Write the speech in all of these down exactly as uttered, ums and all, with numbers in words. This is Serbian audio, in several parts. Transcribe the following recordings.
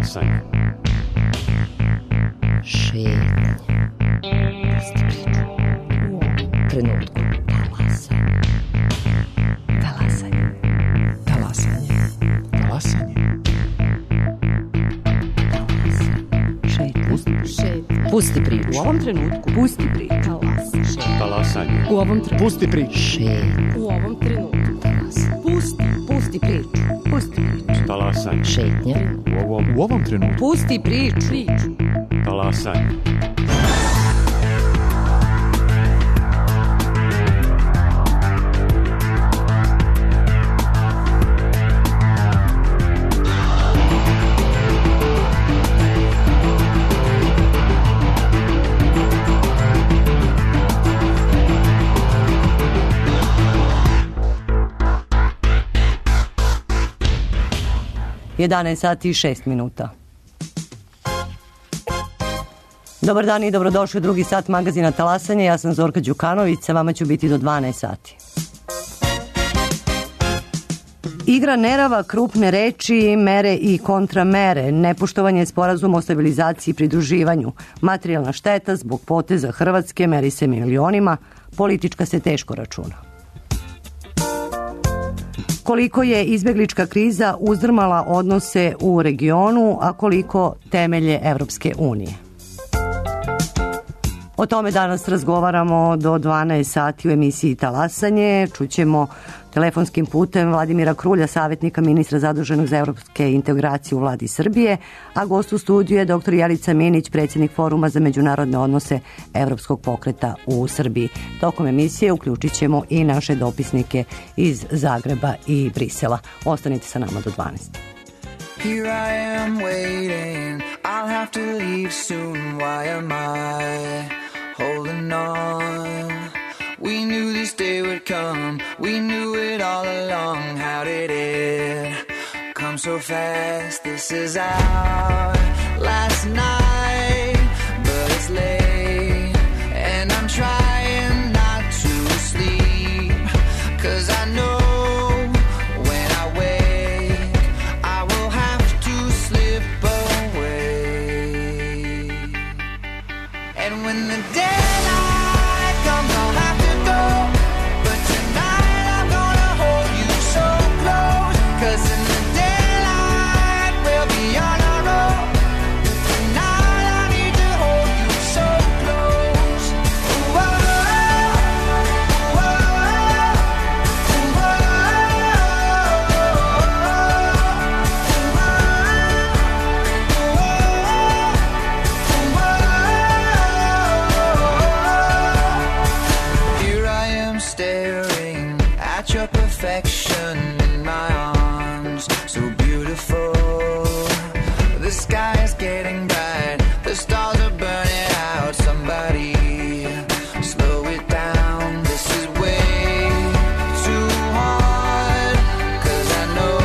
Talasanje. Šetnja. Pusti priču. U ovom trenutku. Talasanje. Talasanje. Talasanje. Talasanje. Šetnja. Šetnja. Pusti priču. U ovom trenutku. Pusti priču. Talasanje. Talasanje. U ovom trenutku. Pusti priču. Šetnja. U ovom trenutku. Talasanje. Pusti. Pusti priču. Pusti priču. Talasanje. Šetnja. U ovom, U ovom trenutku. Pusti priču. Priču. talasanje. jedanaest sati i šest minuta. Dobar dan i dobrodošli u drugi sat magazina Talasanje. Ja sam Zorka Đukanović, sa vama ću biti do dvanaest sati. Igra nerava, krupne reči, mere i kontramere, nepoštovanje sporazuma o stabilizaciji i pridruživanju, materijalna šteta zbog poteza Hrvatske meri se milionima, politička se teško računa. Koliko je izbeglička kriza uzdrmala odnose u regionu, a koliko temelje Evropske unije. O tome danas razgovaramo do dvanaest sati u emisiji Talasanje. Čućemo telefonskim putem Vladimira Krulja, savjetnika ministra zaduženog za evropske integracije u vladi Srbije, a gost u studiju je doktor Jelica Minić, predsjednik Foruma za međunarodne odnose Evropskog pokreta u Srbiji. Tokom emisije uključit ćemo i naše dopisnike iz Zagreba i Brisela. Ostanite sa nama do dvanaest. Here I am waiting, I'll have to leave soon, why am I holding on? We knew this day would come, we knew it all along, how did it come so fast? This is our last night, but it's late, and I'm trying not to sleep, 'cause I know when the daylight comes, I'll have to go, but tonight I'm gonna hold you so close, 'cause in the daylight we'll be on our own. Tonight I need to hold you so close. Ooh, oh, ooh, oh, ooh, oh, your perfection in my arms, so beautiful. The sky is getting bright, the stars are burning out. Somebody slow it down, this is way too hard, 'cause I know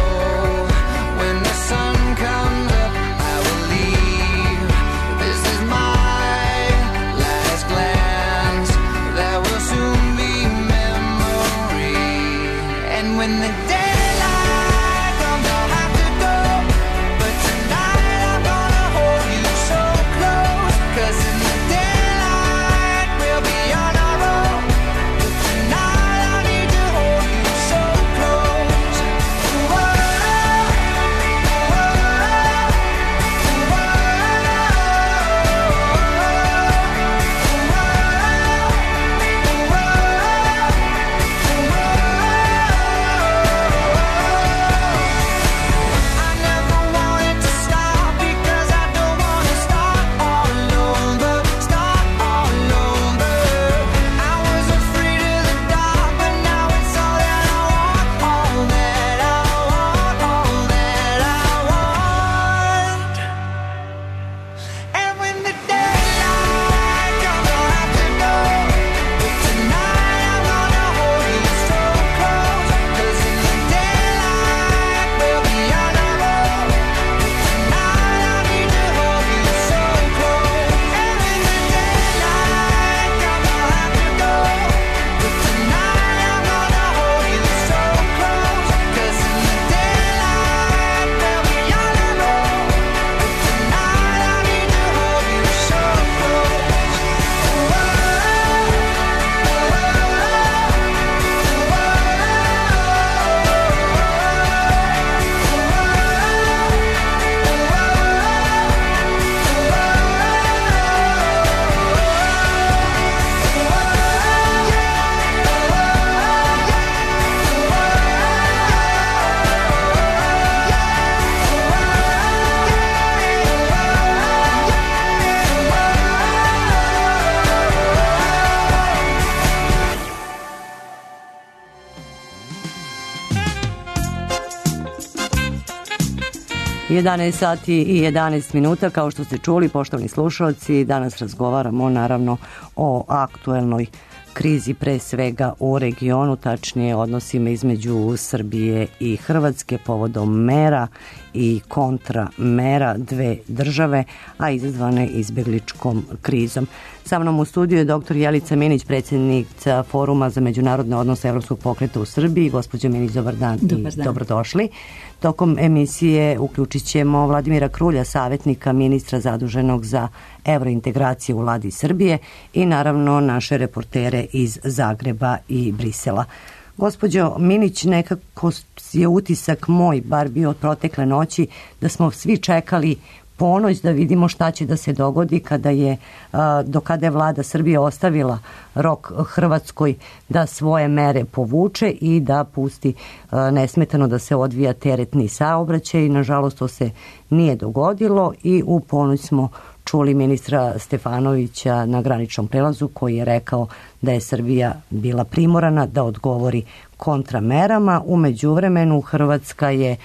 when the sun comes up I will leave. This is my last glance, there will soon be when the daylight comes, I'll have to go, but tonight I'm gonna hold you so close, 'cause in the daylight we'll be on our own. Tonight I need to hold you so close. Ooh, oh, ooh, oh, ooh, oh, ooh, oh, ooh, oh. jedanaest sati i jedanaest minuta, kao što ste čuli, poštovani slušalci, danas razgovaramo naravno o aktuelnoj krizi, pre svega u regionu, tačnije odnosima između Srbije i Hrvatske povodom mera i kontramera dve države, a izazvane izbegličkom krizom. Sa mnom u studiju je doktor Jelica Minić, predsjednica Foruma za međunarodne odnose Evropskog pokreta u Srbiji. Gospođo Minić, dobar dan, dobar dan. I dobrodošli. Tokom emisije uključit ćemo Vladimira Krulja, savjetnika ministra zaduženog za evrointegracije u vladi Srbije, i naravno naše reportere iz Zagreba i Brisela. Gospođo Minić, nekako je utisak moj, bar bio od protekle noći, da smo svi čekali ponoć da vidimo šta će da se dogodi kada je, do kada je vlada Srbije ostavila rok Hrvatskoj da svoje mere povuče i da pusti nesmetano da se odvija teretni saobraćaj. Nažalost, to se nije dogodilo i u ponoć smo čuli ministra Stefanovića na graničnom prelazu, koji je rekao da je Srbija bila primorana da odgovori kontramerama. U međuvremenu Hrvatska je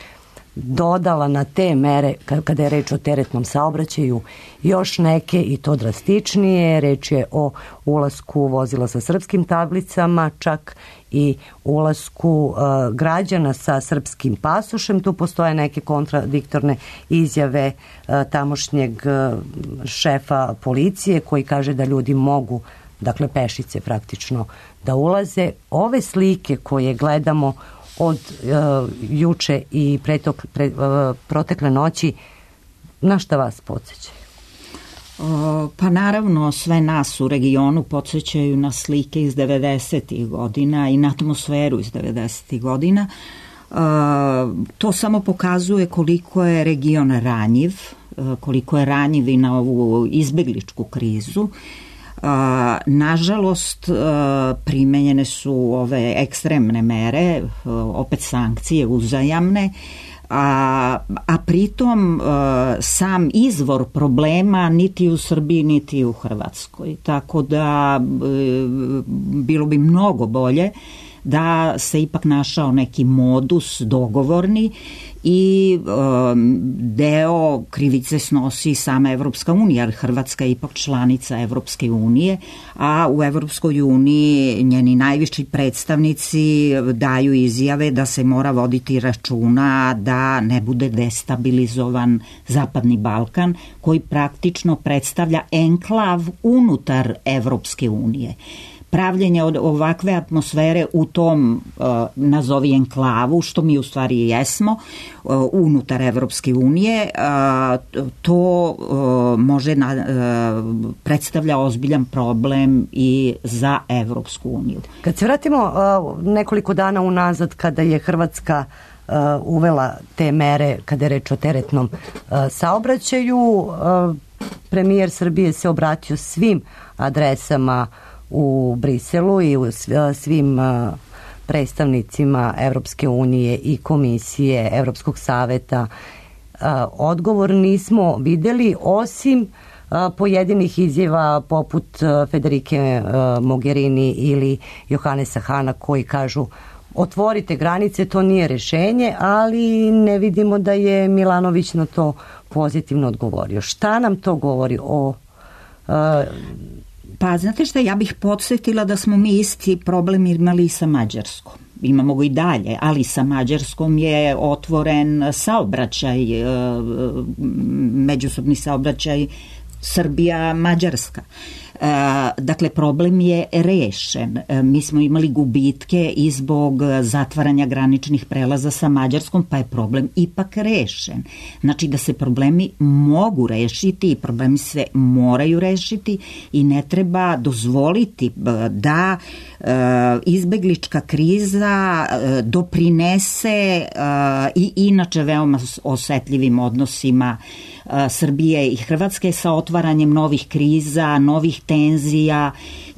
dodala na te mere, kada je reč o teretnom saobraćaju, još neke, i to drastičnije. Reč je o ulasku vozila sa srpskim tablicama, čak i ulasku uh, građana sa srpskim pasošem. Tu postoje neke kontradiktorne izjave uh, tamošnjeg uh, šefa policije, koji kaže da ljudi mogu, dakle pešice praktično, da ulaze. Ove slike koje gledamo od uh, juče i pretok, pre, uh, protekle noći, na šta vas podsjećaju? O, pa naravno, sve nas u regionu podsjećaju na slike iz devedesetih godina i na atmosferu iz devedesetih godina. Uh, to samo pokazuje koliko je region ranjiv, uh, koliko je ranjiv i na ovu izbegličku krizu. Uh, nažalost, uh, primenjene su ove ekstremne mere, uh, opet sankcije uzajamne, a, a pritom uh, sam izvor problema niti u Srbiji niti u Hrvatskoj. Tako da uh, bilo bi mnogo bolje da se ipak našao neki modus dogovorni i um, deo krivice snosi sama Evropska unija, jer Hrvatska je ipak članica Evropske unije, a u Evropskoj uniji njeni najviši predstavnici daju izjave da se mora voditi računa da ne bude destabilizovan Zapadni Balkan, koji praktično predstavlja enklav unutar Evropske unije. Pravljenje od ovakve atmosfere u tom, uh, nazovi enklavu, što mi u stvari jesmo, uh, unutar Evropske unije, uh, to uh, može na, uh, predstavlja ozbiljan problem i za Evropsku uniju. Kad se vratimo uh, nekoliko dana unazad, kada je Hrvatska uh, uvela te mere, kada je reč o teretnom uh, saobraćaju, uh, premijer Srbije se obratio svim adresama u Briselu i u svim predstavnicima Evropske unije i komisije Evropskog saveta. Odgovor nismo videli, osim pojedinih izjava poput Federike Mogherini ili Johanesa Hana, koji kažu otvorite granice, to nije rešenje, ali ne vidimo da je Milanović na to pozitivno odgovorio. Šta nam to govori o... Pa znate šta, ja bih podsjetila da smo mi isti problem imali i sa Mađarskom. Imamo ga i dalje, ali sa Mađarskom je otvoren saobraćaj, međusobni saobraćaj Srbija-Mađarska. Dakle, problem je rešen. Mi smo imali gubitke i zbog zatvaranja graničnih prelaza sa Mađarskom, pa je problem ipak rešen. Znači da se problemi mogu rešiti i problemi se moraju rešiti i ne treba dozvoliti da izbeglička kriza doprinese i inače veoma osetljivim odnosima Srbije i Hrvatske sa otvaranjem novih kriza, novih tenzija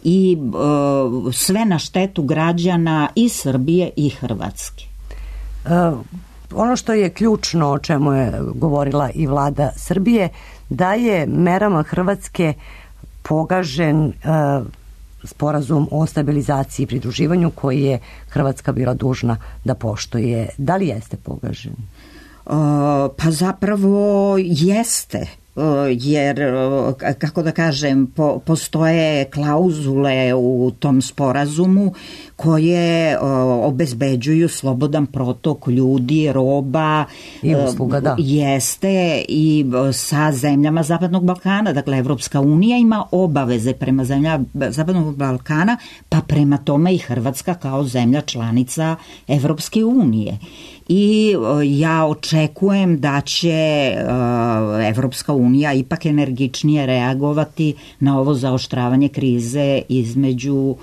i e, sve na štetu građana i Srbije i Hrvatske. Uh, ono što je ključno, o čemu je govorila i vlada Srbije, da je merama Hrvatske pogažen uh, sporazum o stabilizaciji i pridruživanju koji je Hrvatska bila dužna da poštuje. Da li jeste pogažen? Pa zapravo jeste, jer, kako da kažem, po, postoje klauzule u tom sporazumu koje obezbeđuju slobodan protok ljudi, roba i usluga, da. Jeste i sa zemljama Zapadnog Balkana. Dakle, Evropska unija ima obaveze prema zemljama Zapadnog Balkana, pa prema tome i Hrvatska kao zemlja članica Evropske unije. I ja očekujem da će Evropska unija ipak energičnije reagovati na ovo zaoštravanje krize između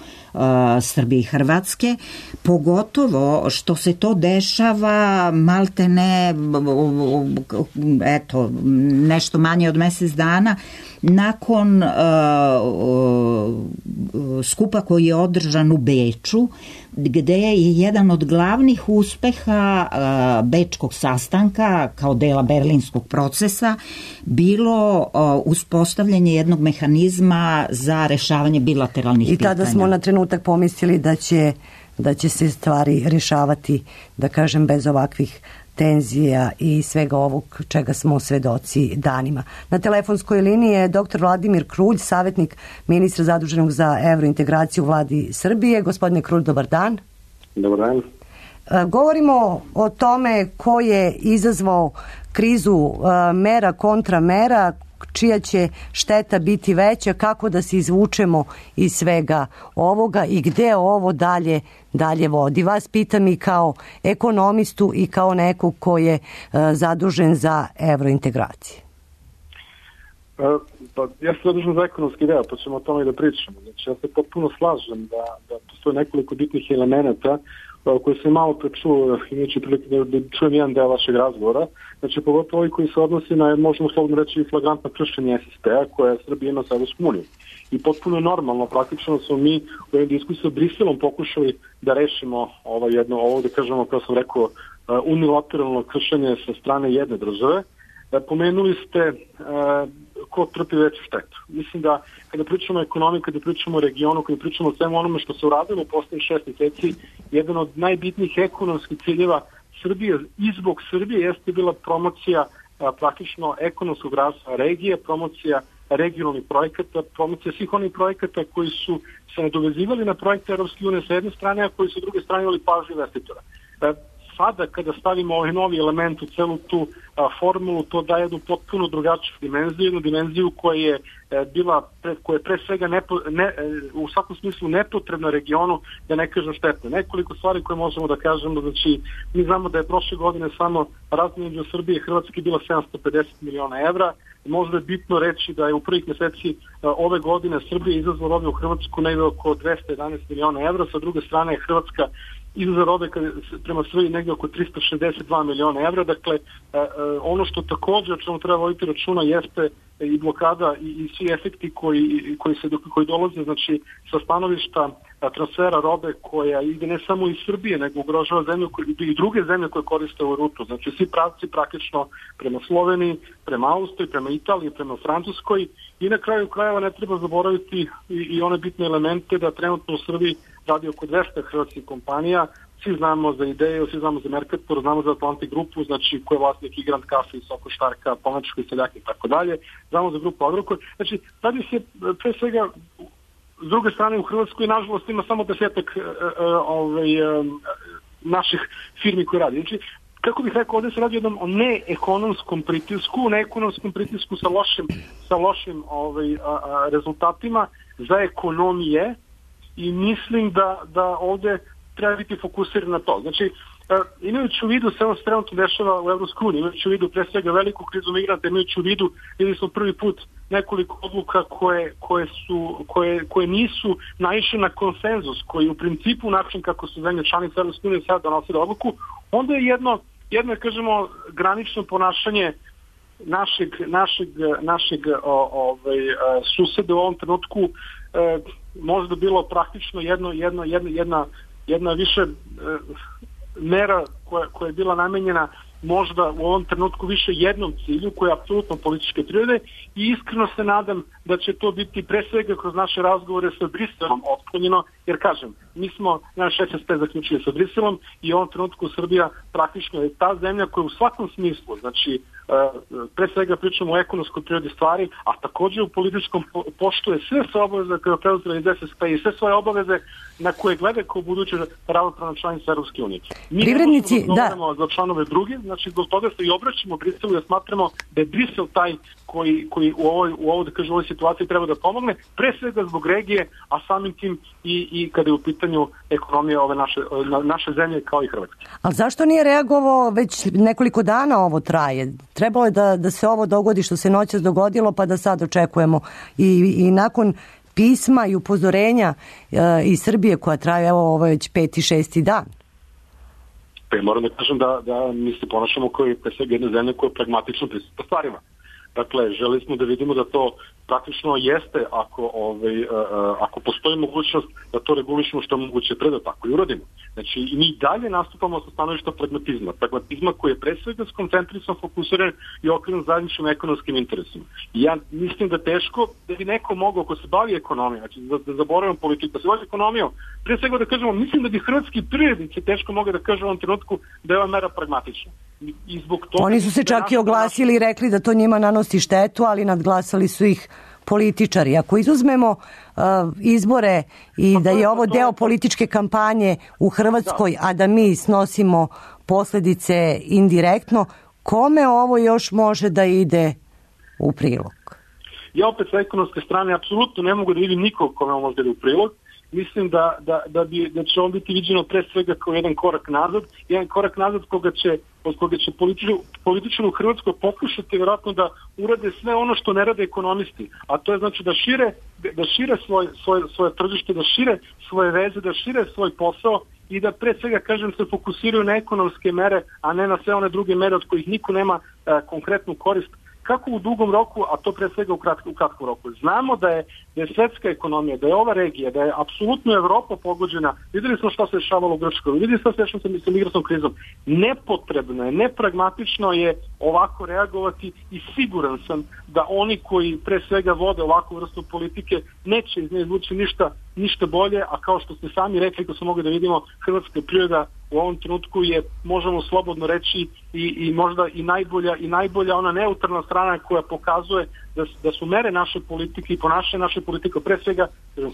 Srbije i Hrvatske, pogotovo što se to dešava malte ne, eto, nešto manje od mesec dana nakon uh, uh, skupa koji je održan u Beču, gde je jedan od glavnih uspeha uh, bečkog sastanka kao dela berlinskog procesa bilo uh, uspostavljanje jednog mehanizma za rešavanje bilateralnih pitanja. I tada smo na trenutak pomislili da će, da će se stvari rešavati, da kažem, bez ovakvih tenzija i svega ovog čega smo svedoci danima. Na telefonskoj liniji je doktor Vladimir Krulj, savjetnik ministra zaduženog za evrointegraciju u vladi Srbije. Gospodine Krulj, dobar dan. Dobar dan. Govorimo o tome ko je izazvao krizu mera kontra mera, čija će šteta biti veća, kako da se izvučemo iz svega ovoga i gde ovo dalje dalje vodi. Vas pitam i kao ekonomistu i kao nekog ko je uh, zadužen za evrointegracije. Uh, pa ja sam zadužen za ekonomski deo, pa ćemo o tome i da pričamo. Znači, ja se potpuno slažem da, da postoje nekoliko bitnih elemenata koji se malo prečuo, imajući prilike da, da čujem jedan deo vašeg razgovora, znači pogotovo ovi koji se odnosi na, možemo slobodno reći, flagrantno kršenje S S P-a koje Srbija ima sa Evropskom unijom. I potpuno je normalno, praktično smo mi u ovoj diskusiji sa Briselom pokušali da rešimo ovo jedno, ovo da kažemo, kao sam rekao, unilateralno kršenje sa strane jedne države. Pomenuli ste uh, ko trpi veću štetu. Mislim da kada pričamo o ekonomiji, kada pričamo o regionu, kada pričamo o svemu onome što se uradilo u poslednjih šest meseci, jedan od najbitnijih ekonomskih ciljeva Srbije i zbog Srbije jeste bila promocija a, praktično ekonomskog razvoja regije, promocija regionalnih projekata, promocija svih onih projekata koji su se nadovezivali na projekte Evropske unije sa jedne strane, a koji su s druge strane imali pažnju investitora. E, Sada, kada stavimo ovaj novi element u celu tu a, formulu, to daje jednu potpuno drugačiju dimenziju, jednu dimenziju koja je e, bila, pre, koja je pre svega nepo, ne, e, u svakom smislu nepotrebna regionu, da ne kažem štetna. Nekoliko stvari koje možemo da kažemo, znači mi znamo da je prošle godine samo razmjena između Srbije i Hrvatske bila sedamsto pedeset miliona evra. Možda je bitno reći da je u prvih meseci a, ove godine Srbija izazvala robe u Hrvatsku negde oko dvesta jedanaest miliona evra, sa druge strane je Hrvatska izvoza robe prema Srbiji negdje oko trista šezdeset dva miliona evra. Dakle, ono što također o čemu treba voditi računa jeste i blokada i, i svi efekti koji, koji, se, koji dolaze, znači, sa stanovišta transfera robe koja ide ne samo iz Srbije, nego ugrožava zemlju i druge zemlje koje koriste ovu rutu. Znači, svi pravci praktično prema Sloveniji, prema Austriji, prema Italiji, prema Francuskoj. I na kraju krajeva ne treba zaboraviti i, i one bitne elemente da trenutno u Srbiji radi oko dvesta hrvatskih kompanija. Svi znamo za Ideju, svi znamo za Mercator, znamo za Atlantic grupu, znači ko je vlasnik i Grand Cafe, i Soko Štarka, Pomačko i Seljak i tako dalje. Znamo za grupu Agrokor. Znači, radi se pre svega, s druge strane u Hrvatskoj, nažalost, ima samo desetak uh, ovaj, uh, naših firmi koje radi. Znači, kako bih rekao, ovdje se radi jednom o neekonomskom pritisku, neekonomskom pritisku sa lošim, sa lošim ovaj, a, a, rezultatima za ekonomije i mislim da, da ovdje treba biti fokusiran na to. Znači, imajući u vidu sve ono se trenutno dešava u Evropskoj uniji, imajući u vidu pre svega veliku krizu migranta, imajući u vidu, videli smo prvi put nekoliko odluka koje, koje, su, koje, koje nisu naišle na konsenzus, koji u principu način kako su zemlje članice Evropske unije sada donosile odluku, onda je jedno, jedno kažemo, granično ponašanje našeg, našeg, našeg o, ovaj, suseda u ovom trenutku e, možda bilo praktično jedno, jedno, jedna, jedna, jedna više e, mera koja, koja je bila namenjena možda u ovom trenutku više jednom cilju koji je apsolutno političke prirode i iskreno se nadam da će to biti pre svega kroz naše razgovore sa Briselom otklonjeno, jer kažem, mi smo naš S S P zaključili sa Briselom i u ovom trenutku Srbija praktično je ta zemlja koja u svakom smislu, znači pre svega pričamo o ekonomskoj prirodi stvari, a također u političkom poštuje sve svoje obaveze koje je preuzela iz S S P i sve svoje obaveze na koje glede kao buduće ravnopravna članica Europske unije. Mi Privrednici, ne možemo da za članove drugi, znači zbog toga se i obraćamo Briselu da smatramo da je Brisel taj koji, koji u ovoj, u ovoj, da kažem, u ovoj situaciji treba da pomogne, pre svega zbog regije, a samim tim i, i kada je u pitanju ekonomija ove naše, naše zemlje kao i Hrvatske. A zašto nije reagovao, već nekoliko dana ovo traje? Trebalo je da, da se ovo dogodi što se noćas dogodilo, pa da sad očekujemo. I, i nakon pisma i upozorenja e, iz Srbije koja traje, evo, ovo je već peti, šesti dan. Pa moram da kažem da, da mi se ponašamo kao i pre svega jedna zemlja koja je pragmatično pristupa stvarima. Dakle, želi smo da vidimo da to praktično jeste ako, ovaj, uh, ako postoji mogućnost da to regulišemo što je moguće pre da tako i uradimo. Znači, i mi dalje nastupamo sa stanovišta pragmatizma. Pragmatizma koji je pre svega skoncentrisan, fokusiran i okrenut zajedničkim ekonomskim interesima. I ja mislim da teško da bi neko mogao, ko se bavi ekonomijom, znači da, da zaboravim politiku, da se bavi ekonomijom, pre svega da kažemo, mislim da bi hrvatski privrednici teško mogli da kažu u ovom trenutku da je ova mera pragmatična. I zbog toga oni su se čak i oglasili i rekli da to njima nanosi štetu, ali nadglasali su ih političari. Ako izuzmemo uh, izbore i da je ovo deo političke kampanje u Hrvatskoj, a da mi snosimo posljedice indirektno, kome ovo još može da ide u prilog? Ja opet sa ekonomske strane apsolutno ne mogu da vidim nikog kome ovo može da ide u prilog. Mislim da, da, da, bi, da će on biti viđeno pre svega kao jedan korak nazad, jedan korak nazad koga će, od koga će političari u Hrvatskoj pokušati vjerojatno da urade sve ono što ne rade ekonomisti, a to je znači da šire, da šire svoj, svoj, svoje tržište, da šire svoje veze, da šire svoj posao i da pre svega, kažem, se fokusiraju na ekonomske mere, a ne na sve one druge mere od kojih niko nema e, konkretnu korist. Kako u dugom roku, a to pre svega u, kratko, u kratkom roku. Znamo da je, da je svetska ekonomija, da je ova regija, da je apsolutno Evropa pogođena. Videli smo što se dešavalo u Grčkoj, videli smo što se dešavalo sa migratskom krizom. Nepotrebno je, nepragmatično je ovako reagovati i siguran sam da oni koji pre svega vode ovakvu vrstu politike neće iz nje izvući ništa, ništa bolje, a kao što ste sami rekli, ko smo mogli da vidimo, hrvatska priroda u ovom trenutku je, možemo slobodno reći, i, i možda i najbolja, i najbolja ona neutralna strana koja pokazuje da, da su mere naše politike i ponašanje naše politike, pre svega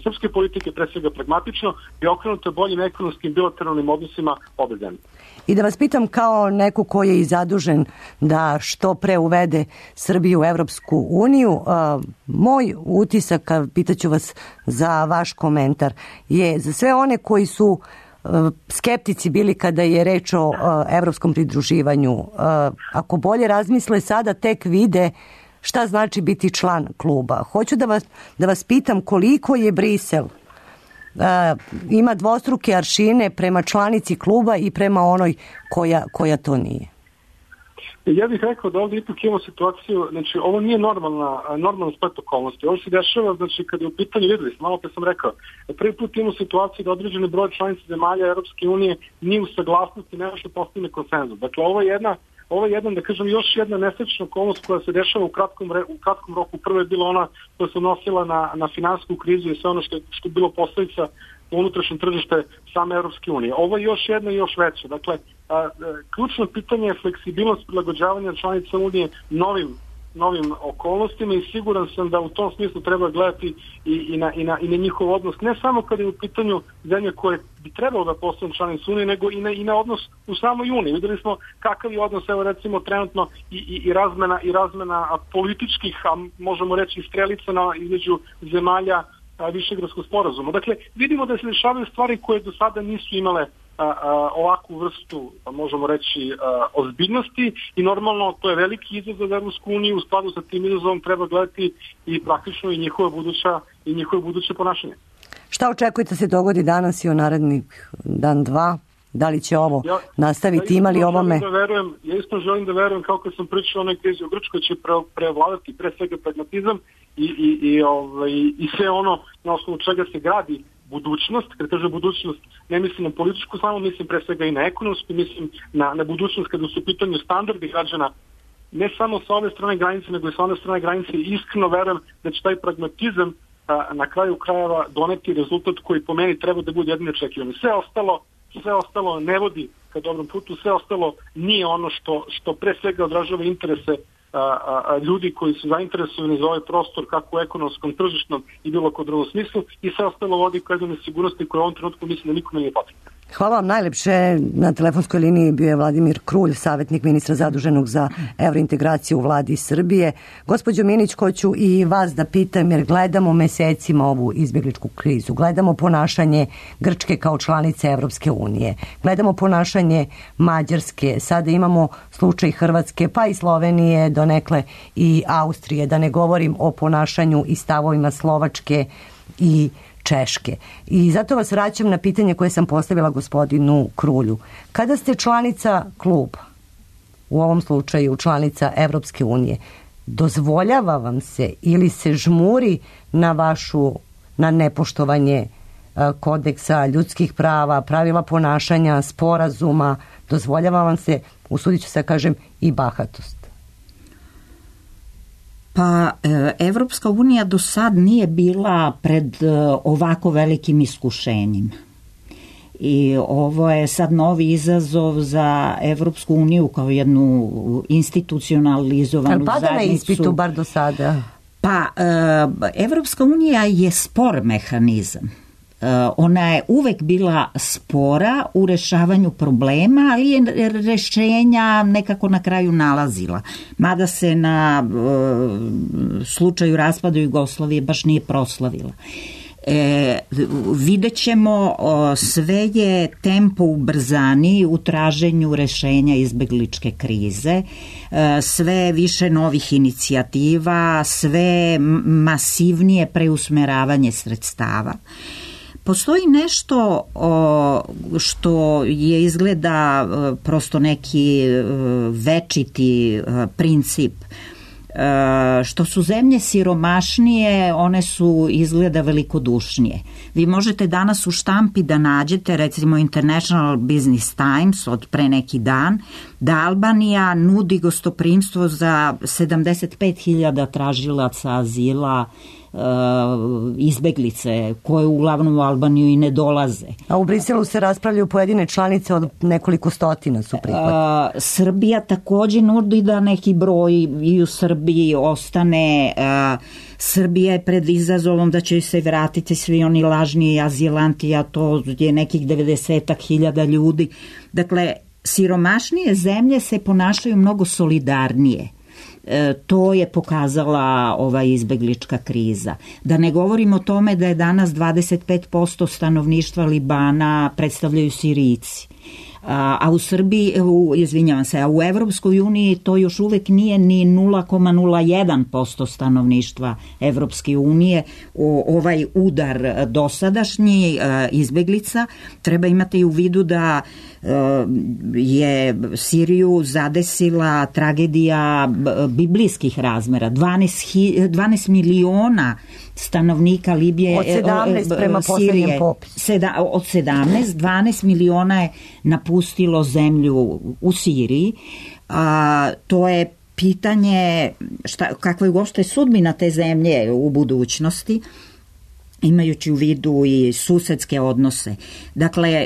srpske politike, pre svega pragmatično i okrenuto boljim ekonomskim bilateralnim odnosima obe zemlje. I da vas pitam kao neko koji je i zadužen da što pre uvede Srbiju u Evropsku uniju, uh, moj utisak, pitaću vas za vaš komentar, je za sve one koji su skeptici bili kada je reč o uh, evropskom pridruživanju. Uh, ako bolje razmisle, sada tek vide šta znači biti član kluba. Hoću da vas, da vas pitam koliko je Brisel uh, ima dvostruke aršine prema članici kluba i prema onoj koja, koja to nije. Ja bih rekao da ovdje ipak imamo situaciju, znači ovo nije normalna, normalna splet okolnosti. Ovo se dešava, znači kada je u pitanju, videli smo, malo pre sam rekao, prvi put imamo situaciju da određeni broj članica zemalja Europske unije nije u saglasnosti nešto postigne konsenzus. Dakle, ovo je jedna, ovo je jedna, da kažem, još jedna nesrećna okolnost koja se dešava u kratkom, u kratkom roku. Prvo je bila ona koja se odnosila na, na finansijsku krizu i sve ono što je, što je bilo posledica unutrašnje tržište same Europske unije. Ovo je još jedna i još veća. Dakle, a, a, ključno pitanje je fleksibilnost prilagođavanja članica Unije novim, novim okolnostima i siguran sam da u tom smislu treba gledati i, i, na, i, na, i na njihov odnos, ne samo kada je u pitanju zemlje koje bi trebalo da postanu članice Unije, nego i na, i na odnos u samoj Uniji. Videli smo kakav je odnos, evo recimo trenutno i, i, i razmena, i razmena političkih, a možemo reći strelica na, između zemalja Višegradskog sporazuma. Dakle, vidimo da se dešavaju stvari koje do sada nisu imale a, a, ovakvu vrstu, možemo reći, a, ozbiljnosti i normalno to je veliki izazov za Evropsku uniju. U skladu sa tim izazovom treba gledati i praktično i njihove buduća i njihove buduće ponašanje. Šta očekujete se dogodi danas i u narednih dan, dva? Da li će ovo ja, nastaviti, ja imali ovome? Da verujem, ja isto želim da verujem, kao kad sam pričao o onoj krizi u Grčkoj, će pre, prevladati pre svega pragmatizam i, i, i, ovaj, i sve ono na osnovu čega se gradi budućnost. Kad kaže budućnost, ne mislim na političku, samo mislim pre svega i na ekonomsku, mislim na, na budućnost kada su u pitanju standardi građana, ne samo sa ove strane granice, nego i sa one strane granice. Iskreno verujem da će taj pragmatizam a, na kraju krajeva doneti rezultat koji po meni treba da bude jedino očekivani. Sve ostalo, sve ostalo ne vodi ka dobrom putu, sve ostalo nije ono što, što pre svega odražava interese a, a, a, ljudi koji su zainteresovani za ovaj prostor, kako u ekonomskom, tržišnom i bilo kod drugom smislu, i sve ostalo vodi ka jednoj sigurnosti koja u ovom trenutku mislim da nikome nije potrebna. Hvala vam najlepše. Na telefonskoj liniji bio je Vladimir Krulj, savjetnik ministra zaduženog za evrointegraciju u vladi Srbije. Gospođo Minić, hoću i vas da pitam, jer gledamo mesecima ovu izbjegličku krizu, gledamo ponašanje Grčke kao članice Evropske unije, gledamo ponašanje Mađarske, sada imamo slučaj Hrvatske, pa i Slovenije, donekle i Austrije, da ne govorim o ponašanju i stavovima Slovačke i Češke. I zato vas vraćam na pitanje koje sam postavila gospodinu Krulju. Kada ste članica kluba, u ovom slučaju članica Evropske unije, dozvoljava vam se ili se žmuri na vašu, na nepoštovanje kodeksa ljudskih prava, pravila ponašanja, sporazuma, dozvoljava vam se, usudit ću se kažem, i bahatost? Pa, Evropska unija do sad nije bila pred ovako velikim iskušenjima. I ovo je sad novi izazov za Evropsku uniju kao jednu institucionalizovanu zajednicu. Ali pada na ispitu bar do sada? Pa, Evropska unija je spor mehanizam. Ona je uvek bila spora u rešavanju problema, ali je rešenja nekako na kraju nalazila. Mada se na e, slučaju raspada Jugoslavije baš nije proslavila. E, vidjet ćemo, o, sve je tempo ubrzani u traženju rešenja izbegličke krize, e, sve više novih inicijativa, sve masivnije preusmeravanje sredstava. Postoji nešto o, što je izgleda o, prosto neki o, večiti o, princip. E, što su zemlje siromašnije, one su izgleda velikodušnije. Vi možete danas u štampi da nađete, recimo International Business Times od pre neki dan, da Albanija nudi gostoprimstvo za sedamdeset pet hiljada tražilaca azila, izbeglice koje uglavnom u Albaniju i ne dolaze. A u Briselu se raspravljaju pojedine članice od nekoliko stotina su prihvatili. Srbija takođe nudi da neki broj i u Srbiji ostane. A, Srbija je pred izazovom da će se vratiti svi oni lažni azilanti, a to je nekih devedeset hiljada ljudi. Dakle, siromašnije zemlje se ponašaju mnogo solidarnije. E, to je pokazala ova izbeglička kriza. Da ne govorim o tome da je danas dvadeset pet posto stanovništva Libana predstavljaju Sirijci. A, a u Srbiji, u, izvinjavam se, a u Evropskoj uniji to još uvek nije ni nula zarez nula jedan posto stanovništva Evropske unije. O, ovaj udar dosadašnji a, izbeglica treba imati u vidu da je Siriju zadesila tragedija biblijskih razmera. dvanaest miliona stanovnika Libije, od sedamnaest prema poslednjem popisu. Od sedamnaest, dvanaest miliona je napustilo zemlju u Siriji. A, to je pitanje šta, kakva je uopšte sudbina te zemlje u budućnosti, imajući u vidu i susedske odnose. Dakle,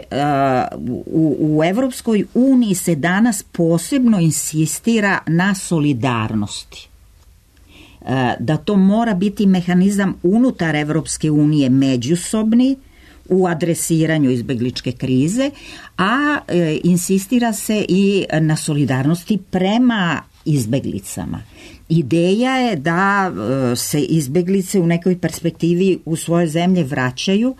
u, u Evropskoj uniji se danas posebno insistira na solidarnosti. Da to mora biti mehanizam unutar Evropske unije međusobni u adresiranju izbegličke krize, a insistira se i na solidarnosti prema izbeglicama. Ideja je da se izbeglice u nekoj perspektivi u svoje zemlje vraćaju.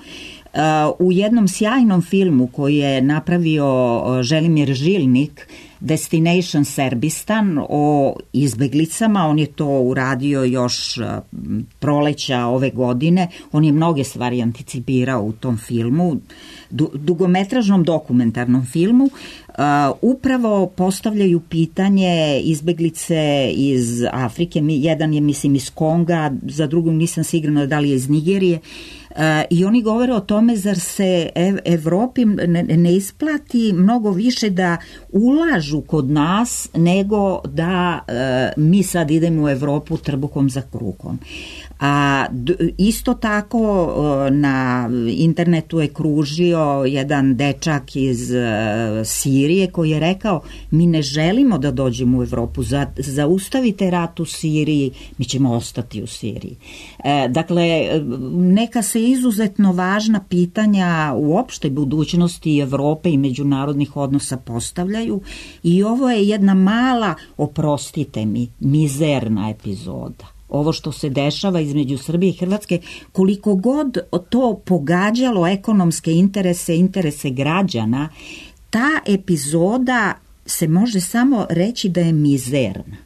U jednom sjajnom filmu koji je napravio Želimir Žilnik, Destination Serbistan, o izbeglicama, on je to uradio još proleća ove godine, on je mnoge stvari anticipirao u tom filmu, dugometražnom dokumentarnom filmu. Upravo postavljaju pitanje izbeglice iz Afrike, jedan je mislim iz Konga, za drugog nisam sigurna da li je iz Nigerije, E, I oni govore o tome zar se ev, Evropi ne, ne isplati mnogo više da ulažu kod nas nego da e, mi sad idemo u Evropu trbukom za kruhom. A isto tako na internetu je kružio jedan dečak iz Sirije koji je rekao mi ne želimo da dođemo u Evropu, zaustavite rat u Siriji, mi ćemo ostati u Siriji. E, dakle, neka se izuzetno važna pitanja u opštoj budućnosti Evrope i međunarodnih odnosa postavljaju i ovo je jedna mala, oprostite mi, mizerna epizoda. Ovo što se dešava između Srbije i Hrvatske, koliko god to pogađalo ekonomske interese, interese građana, ta epizoda se može samo reći da je mizerna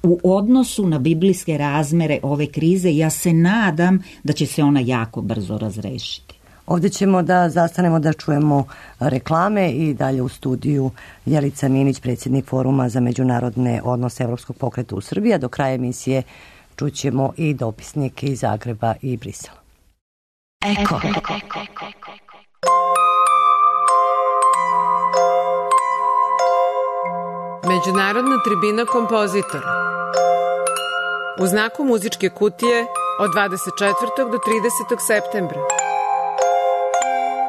u odnosu na biblijske razmere ove krize. Ja se nadam da će se ona jako brzo razrešiti. Ovdje ćemo da zastanemo da čujemo reklame i dalje u studiju Jelica Minić, predsjednik Foruma za međunarodne odnose Evropskog pokreta u Srbiji, a do kraja emisije čućemo i dopisnike iz Zagreba i Brisela. Eko. Međunarodna tribina kompozitora. U znaku muzičke kutije od dvadeset četvrtog do tridesetog septembra.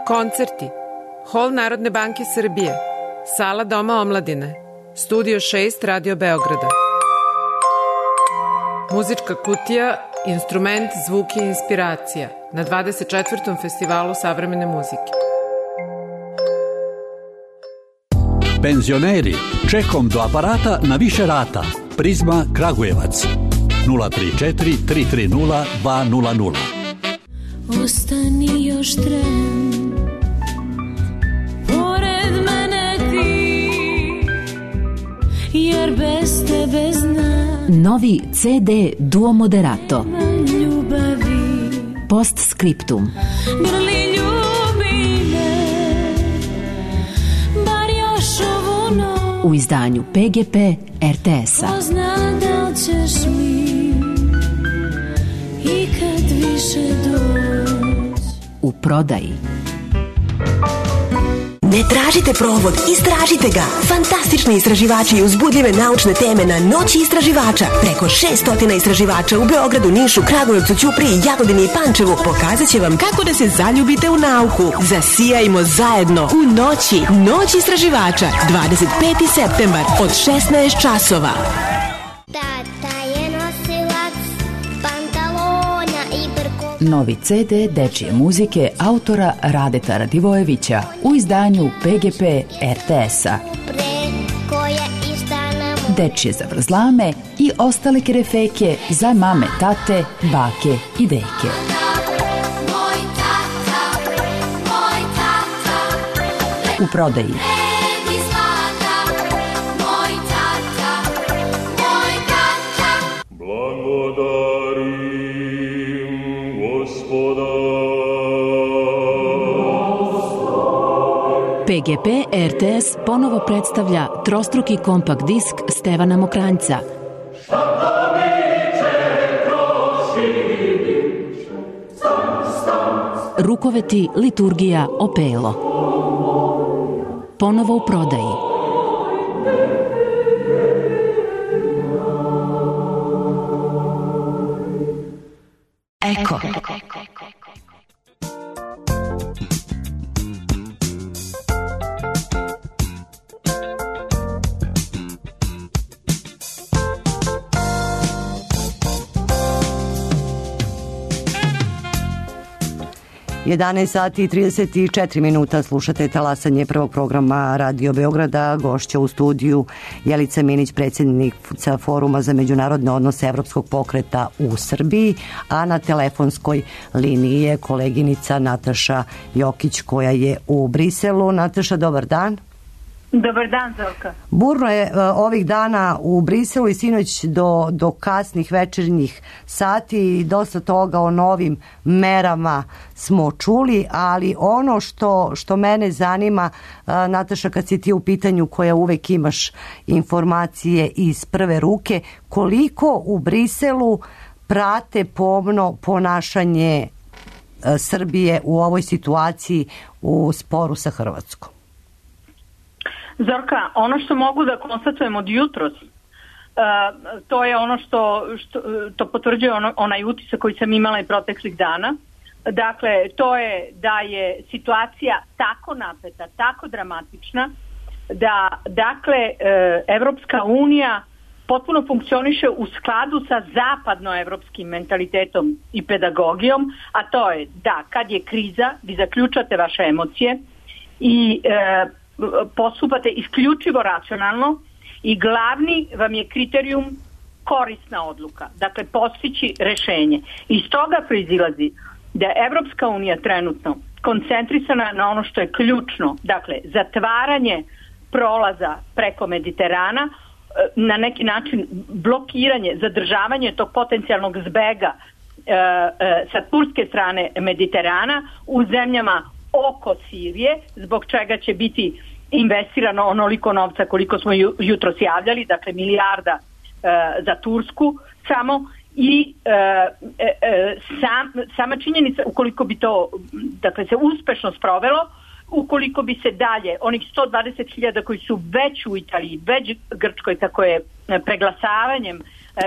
Koncerti. Hol Narodne banke Srbije. Sala Doma omladine. Studio šest Radio Beograda. Muzička kutija, instrument, zvuk i inspiracija na dvadeset četvrtom festivalu savremene muzike. Penzioneri, čekom do aparata na više rata. Prizma Kragujevac nula tri četiri tri tri nula dva nula nula. Ostani još tren, pored mene ti, jer bez tebe znam. Novi ce de Duo Moderato. Ljubavi. Postscriptum. Grli ljubi me, bar još ovu noć. U izdanju pe ge pe er te es-a. Ko zna da ćeš mi ikad više doći. U prodaji. Ne tražite provod, istražite ga. Fantastični istraživači i uzbudljive naučne teme na Noći istraživača. Preko šest stotina istraživača u Beogradu, Nišu, Kragujevcu, Ćupriji, Jagodini i Pančevu pokazat će vam kako da se zaljubite u nauku. Zasijajmo zajedno u Noći. Noć istraživača, dvadeset peti septembar od šesnaest časova. Novi ce de dečije muzike autora Radeta Radivojevića u izdanju pe ge pe er te es-a. Dečije zavrzlame i ostale kerefeke za mame, tate, bake i deke. U prodaji. pe ge pe er te es ponovo predstavlja trostruki kompakt disk Stevana Mokranjca. Rukoveti, liturgija, opelo. Ponovo u prodaji. Eko. jedanaest sati i trideset četiri minuta, slušate talasanje prvog programa Radio Beograda. Gošća u studiju Jelica Minić, predsjednica Foruma za međunarodne odnose Evropskog pokreta u Srbiji, a na telefonskoj liniji je koleginica Nataša Jokić koja je u Briselu. Nataša, dobar dan. Dobar dan, Zorka. Burno je uh, ovih dana u Briselu i sinoć do, do kasnih večernjih sati i dosta toga o novim merama smo čuli, ali ono što, što mene zanima, uh, Nataša, kad si ti u pitanju koja uvek imaš informacije iz prve ruke, koliko u Briselu prate pomno ponašanje Srbije u ovoj situaciji u sporu sa Hrvatskom? Zorka, ono što mogu da konstatujem od jutros, Uh, to je ono što, što to potvrđuje ono, onaj utisak koji sam imala i proteklih dana. Dakle, to je da je situacija tako napeta, tako dramatična, da dakle Evropska unija potpuno funkcioniše u skladu sa zapadnoevropskim mentalitetom i pedagogijom, a to je da kad je kriza vi zaključate vaše emocije i e, postupate isključivo racionalno i glavni vam je kriterijum korisna odluka, dakle postići rešenje. Iz toga proizilazi da je Evropska unija trenutno koncentrisana na ono što je ključno, dakle zatvaranje prolaza preko Mediterana, na neki način blokiranje, zadržavanje tog potencijalnog zbega e, e, sa turske strane Mediterana u zemljama oko Sirije, zbog čega će biti investirano onoliko novca koliko smo ju, jutros javljali, dakle milijarda e, za Tursku samo i e, e, sam, sama činjenica ukoliko bi to dakle se uspešno sprovelo, ukoliko bi se dalje onih sto dvadeset hiljada koji su već u Italiji, već Grčkoj, tako je preglasavanjem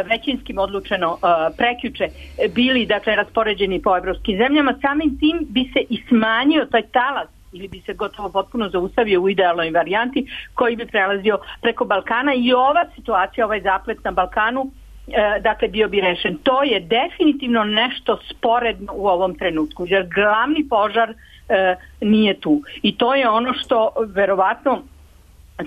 većinskim odlučeno prekjuče bili dakle raspoređeni po evropskim zemljama, samim tim bi se i smanjio taj talas ili bi se gotovo potpuno zaustavio u idealnoj varijanti koji bi prelazio preko Balkana i ova situacija, ovaj zaplet na Balkanu dakle bio bi rešen. To je definitivno nešto sporedno u ovom trenutku, jer glavni požar e, nije tu. I to je ono što verovatno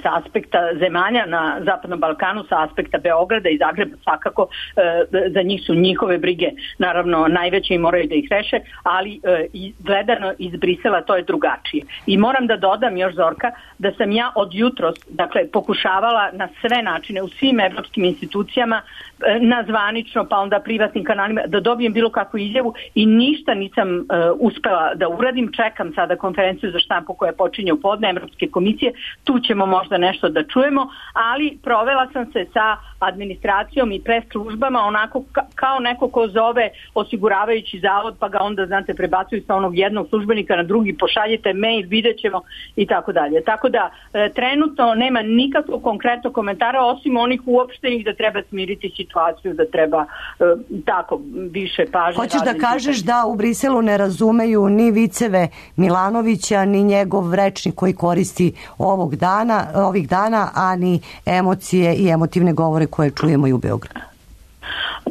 sa aspekta zemalja na Zapadnom Balkanu, sa aspekta Beograda i Zagreba svakako e, za njih su njihove brige naravno najveće i moraju da ih reše, ali e, gledano iz Brisela to je drugačije. I moram da dodam još, Zorka, da sam ja od jutros dakle pokušavala na sve načine u svim evropskim institucijama e, na zvanično pa onda privatnim kanalima da dobijem bilo kakvu izjavu i ništa nisam e, uspela da uradim. Čekam sada konferenciju za štampu koja počinje u podne Evropske komisije, tu ćemo možda nešto da čujemo, ali provela sam se sa administracijom i pres službama onako ka- kao neko ko zove osiguravajući zavod pa ga onda znate prebacuju sa onog jednog službenika na drugi, pošaljite mail, vidjet ćemo i tako dalje. Tako da e, trenutno nema nikakvog konkretnog komentara osim onih uopštenih da treba smiriti situaciju, da treba e, tako više pažnje. Hoćeš da kažeš da u Briselu ne razumeju ni viceve Milanovića ni njegov rečnik koji koristi ovog dana, ovih dana, a ni emocije i emotivne govore koje čujemo i u Beogradu?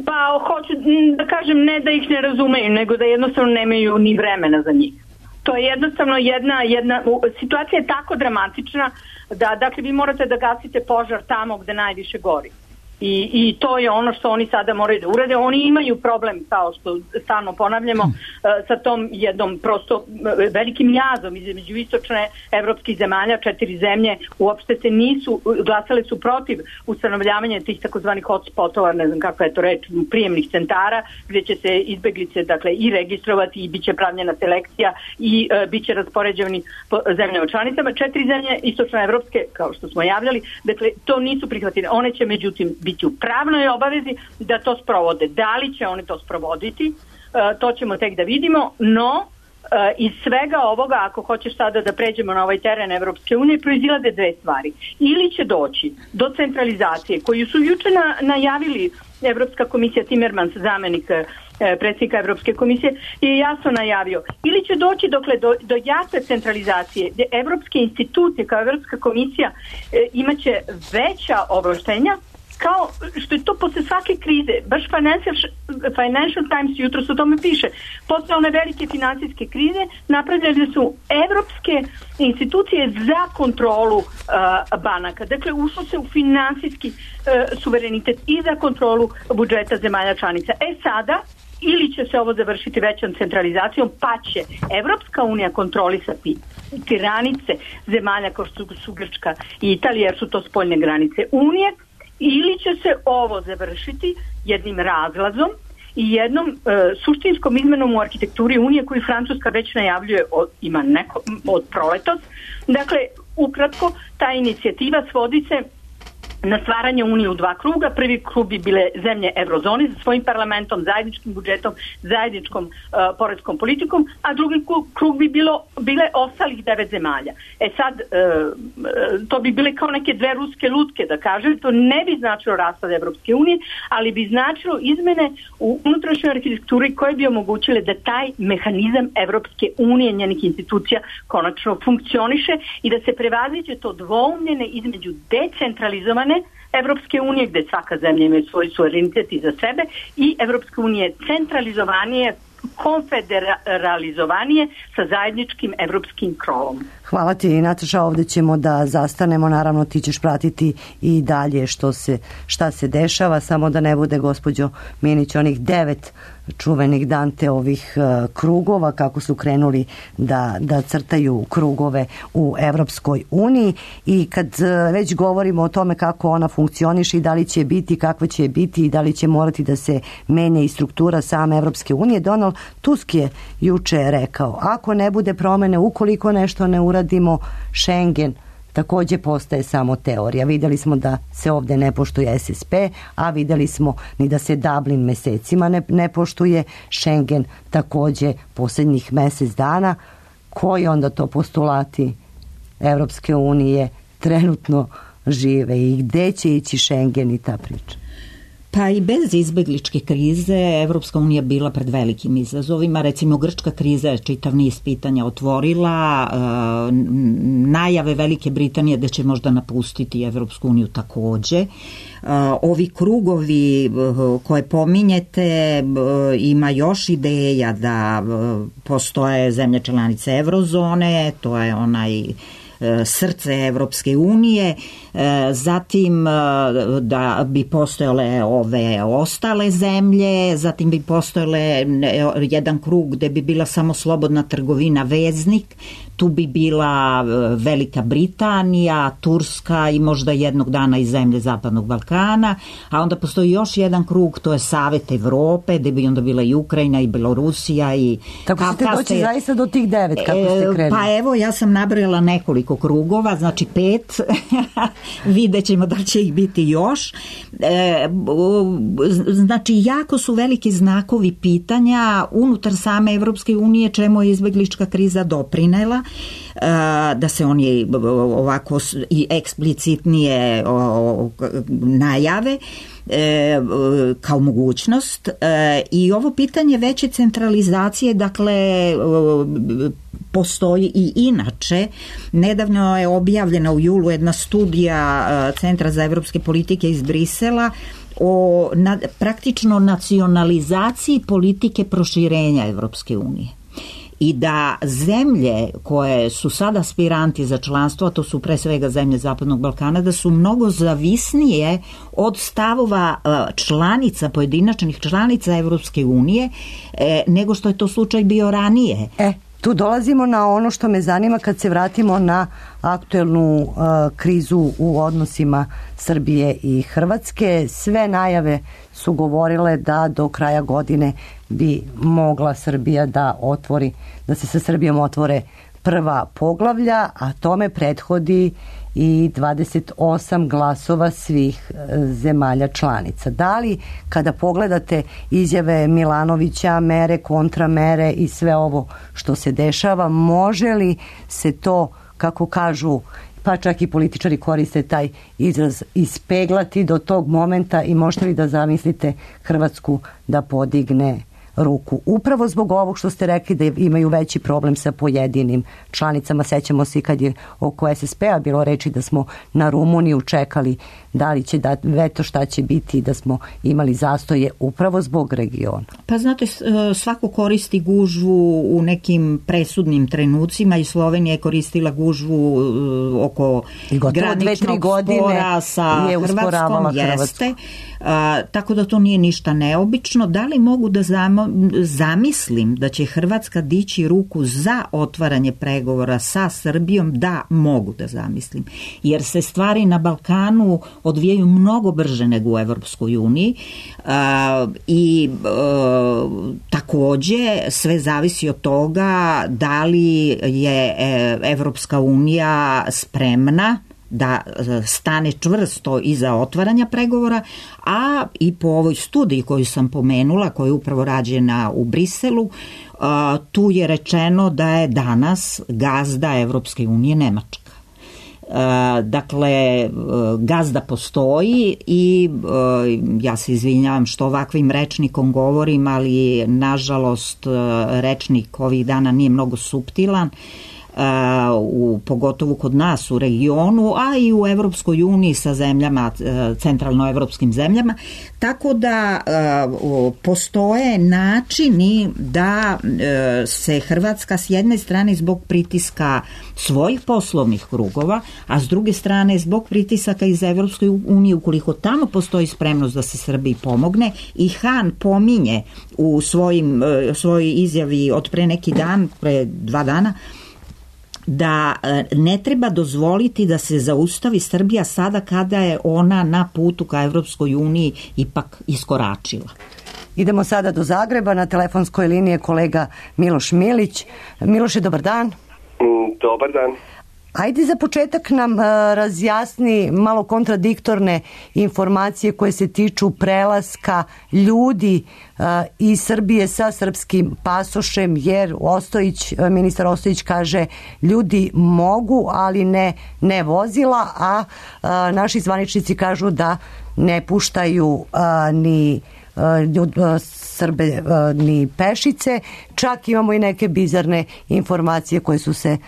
Pa hoću da kažem ne da ih ne razumeju, nego da jednostavno nemaju ni vremena za njih. To je jednostavno jedna, jedna situacija je tako dramatična da dakle vi morate da gasite požar tamo gde najviše gori. I, I to je ono što oni sada moraju da urade. Oni imaju problem, kao što stalno ponavljamo, sa tom jednom prosto velikim jazom između istočne evropskih zemalja, četiri zemlje uopšte se nisu, glasale su protiv ustanovljavanja tih takozvanih hotspotova, ne znam kako je to reč, prijemnih centara, gdje će se izbeglice dakle i registrovati i bit će pravljena selekcija i e, bit će raspoređeni po zemljama članicama. Četiri zemlje istočne evropske, kao što smo javljali, dakle to nisu prihvatile. One će međutim biti u pravnoj obavezi da to sprovode. Da li će oni to sprovoditi, e, to ćemo tek da vidimo, no e, iz svega ovoga, ako hoćeš sada da pređemo na ovaj teren Evropske unije, proizilade dve stvari. Ili će doći do centralizacije, koju su juče na, najavili Evropska komisija, Timmermans, zamenik e, predsjednika Evropske komisije, je jasno najavio. Ili će doći dokle, do, do jasne centralizacije, gdje evropske institucije kao Evropska komisija e, imaće veća ovlaštenja, kao što je to posle svake krize, baš Financial, Financial Times jutro se o tome piše, posle one velike finansijske krize napravljene su evropske institucije za kontrolu uh, banaka. Dakle, ušlo se u finansijski uh, suverenitet i za kontrolu budžeta zemalja članica. E sada, ili će se ovo završiti većom centralizacijom, pa će Evropska unija kontrolisati granice zemalja kao što su Grčka i Italija, jer su to spoljne granice Unije, ili će se ovo završiti jednim razlazom i jednom e, suštinskom izmenom u arhitekturi Unije koju Francuska već najavljuje od, ima neko, od proletos. Dakle, ukratko, ta inicijativa svodi se na stvaranje Unije u dva kruga. Prvi krug bi bile zemlje eurozone sa svojim parlamentom, zajedničkim budžetom, zajedničkom uh, poreskom politikom, a drugi krug bi bilo, bile ostalih devet zemalja. E sad, uh, to bi bile kao neke dve ruske lutke, da kažem, to ne bi značilo raspad Evropske unije, ali bi značilo izmene u unutrašnjoj arhitekturi koje bi omogućile da taj mehanizam Evropske unije, njenih institucija, konačno funkcioniše i da se prevaziđe to dvoumljene između decentralizovane Evropske unije, gde svaka zemlja ima svoj suverenitet i za sebe, i Evropske unije centralizovanije, konfederalizovanije sa zajedničkim evropskim krovom. Hvala ti, Nataša, ovde ćemo da zastanemo, naravno ti ćeš pratiti i dalje što se, šta se dešava, samo da ne bude, gospođo Minić, onih devet čuvenih Dante ovih uh, krugova, kako su krenuli da, da crtaju krugove u Evropskoj uniji. I kad uh, već govorimo o tome kako ona funkcioniše i da li će biti, kakva će biti i da li će morati da se menja i struktura same Evropske unije, Donald Tusk je juče rekao, ako ne bude promene, ukoliko nešto ne uradimo, Schengen takođe postaje samo teorija. Videli smo da se ovde ne poštuje S S P, a videli smo ni da se Dublin mesecima ne, ne poštuje, Schengen takođe posljednjih mesec dana. Koji onda to postulati Evropske unije trenutno žive i gde će ići Schengen i ta priča? Pa i bez izbegličke krize Evropska unija bila pred velikim izazovima. Recimo, grčka kriza je čitav niz pitanja otvorila, e, najave Velike Britanije da će možda napustiti Evropsku uniju takođe. E, ovi krugovi koje pominjete, e, ima još ideja da e, postoje zemlje članice Eurozone, to je onaj srce Evropske unije, zatim da bi postojale ove ostale zemlje, zatim bi postojale jedan krug gde bi bila samo slobodna trgovina veznik, tu bi bila Velika Britanija, Turska i možda jednog dana i zemlje Zapadnog Balkana, a onda postoji još jedan krug, to je Savet Evrope, gde bi onda bila i Ukrajina i Belorusija i... Tako ste doći zaista do tih devet, kako ste krenuli? Pa evo, ja sam nabrojala nekoliko krugova, znači pet, vidjet ćemo da će ih biti još. E, znači, jako su veliki znakovi pitanja unutar same Evropske unije, čemu je izbeglička kriza doprinela, da se oni ovako i eksplicitnije najave kao mogućnost. I ovo pitanje veće centralizacije, dakle, postoji i inače. Nedavno je objavljena u julu jedna studija Centra za evropske politike iz Brisela o na, praktično nacionalizaciji politike proširenja Evropske unije. I da zemlje koje su sada aspiranti za članstvo, a to su pre svega zemlje Zapadnog Balkana, da su mnogo zavisnije od stavova članica, pojedinačnih članica Evropske unije, nego što je to slučaj bio ranije. E, tu dolazimo na ono što me zanima kad se vratimo na aktuelnu uh, krizu u odnosima Srbije i Hrvatske. Sve najave su govorile da do kraja godine bi mogla Srbija da otvori, da se sa Srbijom otvore prva poglavlja, a tome prethodi i dvadeset osam glasova svih zemalja članica. Da li, kada pogledate izjave Milanovića, mere, kontramere i sve ovo što se dešava, može li se to, kako kažu, pa čak i političari koriste taj izraz, ispeglati do tog momenta i možete li da zamislite Hrvatsku da podigne ruku? Upravo zbog ovog što ste rekli da imaju veći problem sa pojedinim članicama. Sećamo se kad je oko S S P-a bilo reči da smo na Rumuniju čekali da li će da veto, šta će biti, da smo imali zastoje upravo zbog regiona. Pa znate, svako koristi gužvu u nekim presudnim trenucima i Slovenija je koristila gužvu oko graničnog spora sa Hrvatskom, jeste. A, tako da to nije ništa neobično. Da li mogu da zamo, zamislim da će Hrvatska dići ruku za otvaranje pregovora sa Srbijom? Da, mogu da zamislim. Jer se stvari na Balkanu odvijaju mnogo brže nego u Evropskoj uniji a, i a, takođe sve zavisi od toga da li je Evropska unija spremna da stane čvrsto iza otvaranja pregovora, a i po ovoj studiji koju sam pomenula, koja je upravo rađena u Briselu, tu je rečeno da je danas gazda Evropske unije Nemačka. Dakle, gazda postoji i ja se izvinjavam što ovakvim rečnikom govorim, ali nažalost rečnik ovih dana nije mnogo suptilan, u, pogotovo kod nas u regionu, a i u Evropskoj uniji sa zemljama, centralnoevropskim zemljama, tako da postoje načini da se Hrvatska s jedne strane zbog pritiska svojih poslovnih krugova, a s druge strane zbog pritisaka iz Evropske unije, ukoliko tamo postoji spremnost da se Srbiji pomogne, i Han pominje u svojim, svojoj izjavi od pre neki dan, pre dva dana, da ne treba dozvoliti da se zaustavi Srbija sada kada je ona na putu ka Evropskoj uniji ipak iskoračila. Idemo sada do Zagreba, na telefonskoj liniji je kolega Miloš Milić. Miloše, dobar dan. Dobar dan. Ajde za početak nam uh, razjasni malo kontradiktorne informacije koje se tiču prelaska ljudi uh, iz Srbije sa srpskim pasošem, jer Ostojić, ministar Ostojić kaže ljudi mogu, ali ne, ne vozila, a uh, naši zvaničnici kažu da ne puštaju uh, ni ljud, Srbe ni pešice. Čak imamo i neke bizarne informacije koje su se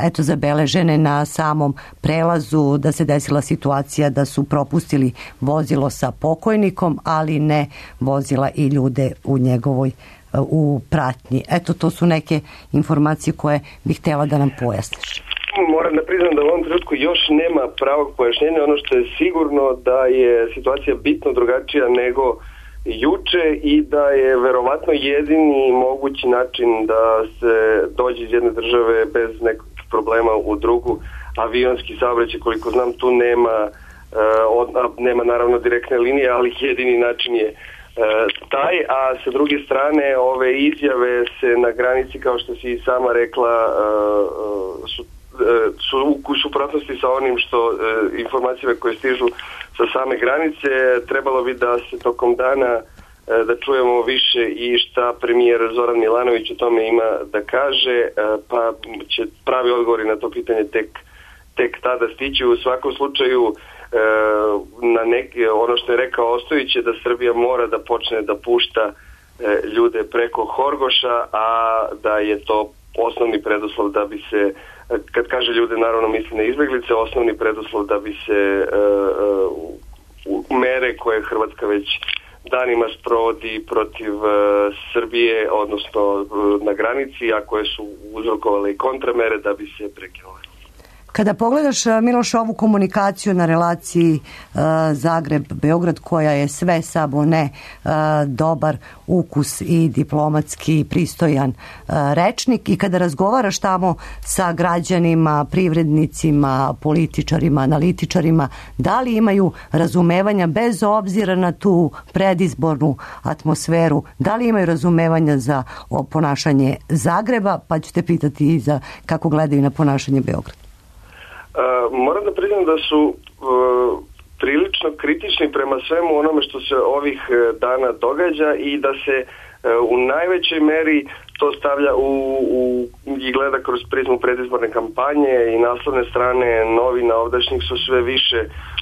eto zabeležene na samom prelazu, da se desila situacija da su propustili vozilo sa pokojnikom, ali ne vozila i ljude u njegovoj u pratnji. Eto, to su neke informacije koje bih htjela da nam pojasniš. Moram da priznam da u ovom trenutku još nema pravog pojašnjenja. Ono što je sigurno da je situacija bitno drugačija nego juče i da je verovatno jedini mogući način da se dođe iz jedne države bez nekakvih problema u drugu avionski saobraćaj. Koliko znam, tu nema uh, nema naravno direktne linije, ali jedini način je uh, taj, a sa druge strane ove izjave se na granici, kao što si i sama rekla, uh, su su u suprotnosti sa onim što e, informacije koje stižu sa same granice. Trebalo bi da se tokom dana e, da čujemo više i šta premijer Zoran Milanović o tome ima da kaže, e, pa će pravi odgovori na to pitanje tek, tek tada stići. U svakom slučaju e, na neki, ono što je rekao Ostojić je da Srbija mora da počne da pušta e, ljude preko Horgoša, a da je to osnovni preduslov da bi se, kad kaže ljude, naravno misli na izbeglice, osnovni preduslov da bi se uh, uh, mere koje Hrvatska već danima sprovodi protiv uh, Srbije, odnosno uh, na granici, a koje su uzrokovale i kontramere, da bi se prekinule. Kada pogledaš, Miloš, ovu komunikaciju na relaciji uh, Zagreb-Beograd, koja je sve samo ne uh, dobar ukus i diplomatski pristojan uh, rečnik, i kada razgovaraš tamo sa građanima, privrednicima, političarima, analitičarima, da li imaju razumevanja bez obzira na tu predizbornu atmosferu, da li imaju razumevanja za ponašanje Zagreba, pa ću te pitati i za kako gledaju na ponašanje Beograda. Uh, moram da priznam da su uh, prilično kritični prema svemu onome što se ovih uh, dana događa i da se uh, u najvećoj meri to stavlja u, u, i gleda kroz prizmu predizborne kampanje i naslovne strane novina ovdašnjih su sve više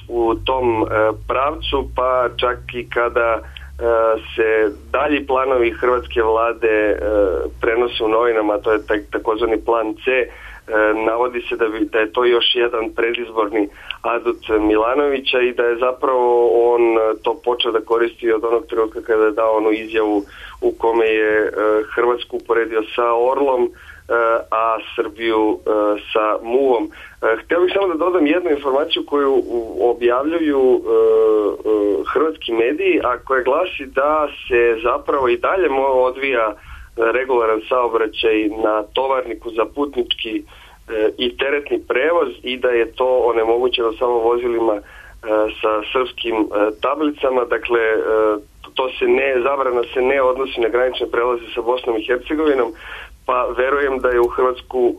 u tom uh, pravcu, pa čak i kada uh, se dalji planovi hrvatske vlade uh, prenose u novinama, to je tak, takozvani plan C. Navodi se da, bi, da je to još jedan predizborni adut Milanovića i da je zapravo on to počeo da koristi od onog trenutka kada je dao onu izjavu u kome je Hrvatsku uporedio sa Orlom, a Srbiju sa muvom. Htio bih samo da dodam jednu informaciju koju objavljuju hrvatski mediji, a koja glasi da se zapravo i dalje odvija regularan saobraćaj na tovarniku za putnički e, i teretni prevoz i da je to onemogućeno samo vozilima e, sa srpskim e, tablicama. Dakle, e, to se ne, zabrana se ne odnosi na granične prelaze sa Bosnom i Hercegovinom. pa verujem da je u Hrvatsku uh,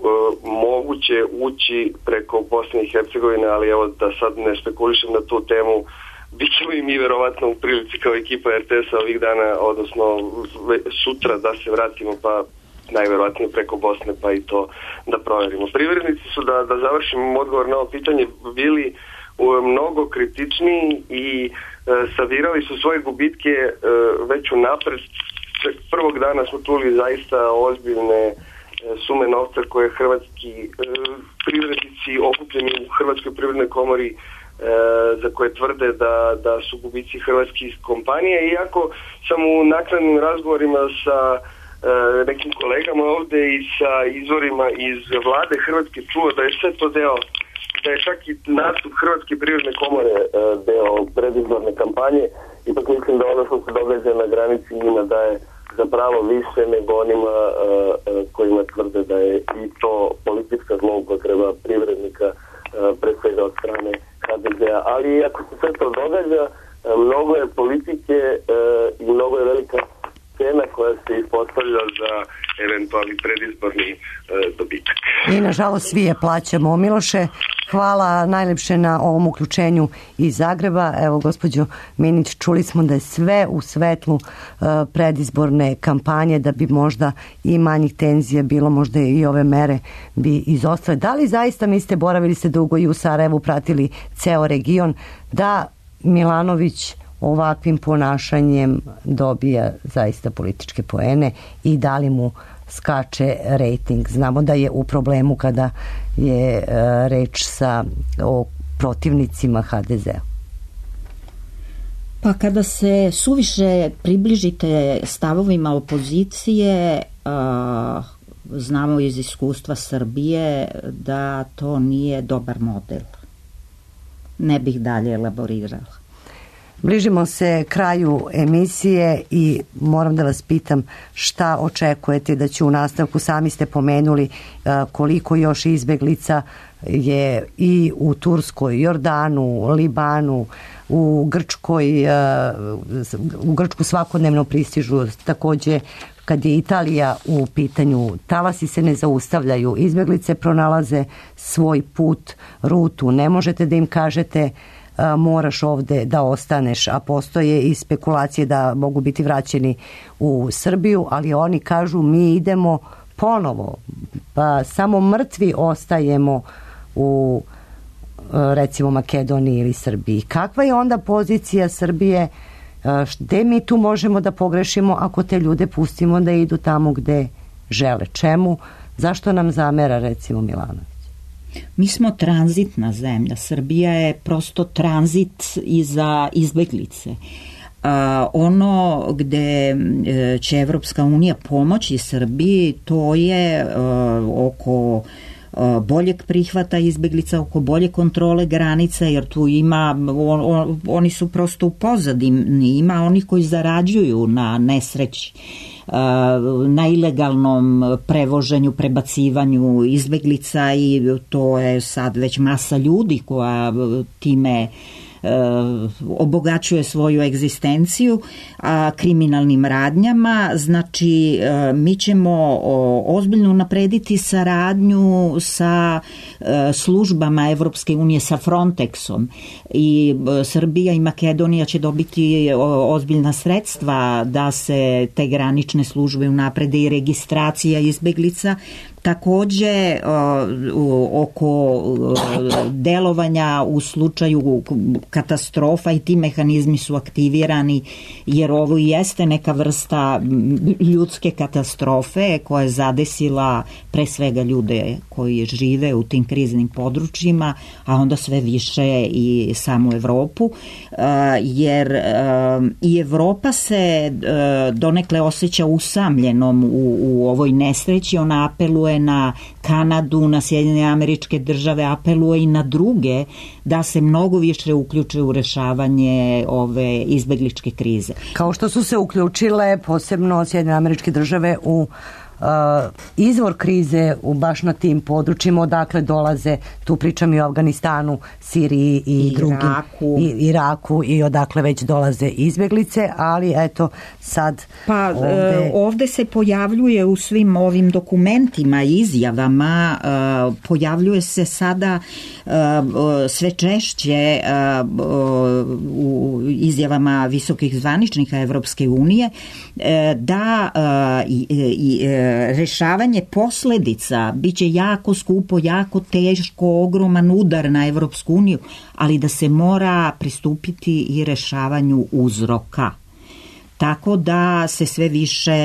moguće ući preko Bosne i Hercegovine, ali evo da sad ne spekulišem na tu temu, bit ćemo i mi verovatno u prilici kao ekipa R T S-a ovih dana, odnosno sutra da se vratimo, pa najverovatnije preko Bosne, pa i to da proverimo. Privrednici su, da, da završim odgovor na ovo pitanje, bili uh, mnogo kritičniji i uh, savirali su svoje gubitke uh, već u napred. Prvog dana smo čuli zaista ozbiljne sume novca koje hrvatski e, privrednici okupljeni u Hrvatskoj privrednoj komori e, za koje tvrde da, da su gubici hrvatskih kompanija, iako sam u naknadnim razgovorima sa e, nekim kolegama ovde i sa izvorima iz vlade Hrvatske čuo da je sve to deo, da je čak i nastup Hrvatske privredne komore e, deo predizborne kampanje. Ipak mislim da ono što se događa na granici njima daje zapravo više nego onima uh, uh, kojima tvrde da je i to politička zloupotreba privrednika, uh, pre svega od strane H D Z-a. Ali ako se sve to događa, uh, mnogo je politike uh, i mnogo je velika cena koja se ispostavlja za eventualni predizborni uh, dobitak. I nažalost svi je plaćamo. Miloše, hvala najlepše na ovom uključenju iz Zagreba. Evo, gospođo Minić, čuli smo da je sve u svetlu uh, predizborne kampanje, da bi možda i manjih tenzija bilo, možda i ove mere bi izostale. Da li zaista mislite, boravili ste dugo i u Sarajevu, pratili ceo region, da Milanović ovakvim ponašanjem dobija zaista političke poene i da li mu skače rejting? Znamo da je u problemu kada je uh, reč sa o protivnicima H D Z-a. Pa kada se suviše približite stavovima opozicije, uh, znamo iz iskustva Srbije da to nije dobar model. Ne bih dalje elaborirala. Bližimo se kraju emisije i moram da vas pitam šta očekujete da će u nastavku, sami ste pomenuli koliko još izbeglica je i u Turskoj, Jordanu, Libanu, u Grčkoj, u Grčku svakodnevno pristižu, takođe kad je Italija u pitanju, talasi se ne zaustavljaju, izbeglice pronalaze svoj put, rutu, ne možete da im kažete moraš ovde da ostaneš, a postoje i spekulacije da mogu biti vraćeni u Srbiju, ali oni kažu mi idemo ponovo, pa samo mrtvi ostajemo u recimo Makedoniji ili Srbiji. Kakva je onda pozicija Srbije, gde mi tu možemo da pogrešimo ako te ljude pustimo da idu tamo gde žele? Čemu? Zašto nam zamera recimo Milanović? Mi smo tranzitna zemlja. Srbija je prosto tranzit i za izbeglice. Uh, ono gde će Evropska unija pomoći Srbiji, to je uh, oko uh, boljeg prihvata izbeglica, oko bolje kontrole granica, jer tu ima, on, on, oni su prosto u pozadini, ima oni koji zarađuju na nesreći, na ilegalnom prevoženju, prebacivanju izbeglica, i to je sad već masa ljudi koja time obogaćuje svoju egzistenciju a, kriminalnim radnjama. Znači mi ćemo ozbiljno naprediti saradnju sa službama Evropske unije, sa Frontexom, i Srbija i Makedonija će dobiti ozbiljna sredstva da se te granične službe unaprede i registracija izbeglica. Takođe oko delovanja u slučaju katastrofa, i ti mehanizmi su aktivirani, jer ovo jeste neka vrsta ljudske katastrofe koja je zadesila pre svega ljude koji žive u tim kriznim područjima, a onda sve više i samu Evropu, jer i Evropa se donekle osjeća usamljenom u, u ovoj nesreći. Ona apeluje na Kanadu, na Sjedinjene Američke Države, apeluje i na druge da se mnogo više uključe u rešavanje ove izbegličke krize. Kao što su se uključile posebno Sjedinjene Američke Države u izvor krize u baš na tim područjima, odakle dolaze, tu pričam i o Afganistanu, Siriji i, I drugim, Iraku. i Iraku i odakle već dolaze izbjeglice, ali eto sad pa ovde... e, ovde se pojavljuje u svim ovim dokumentima i izjavama, e, pojavljuje se sada e, sve češće e, u izjavama visokih zvaničnika Evropske unije e, da e, i, i e, rešavanje posledica biće jako skupo, jako teško, ogroman udar na Evropsku uniju, ali da se mora pristupiti i rešavanju uzroka. Tako da se sve više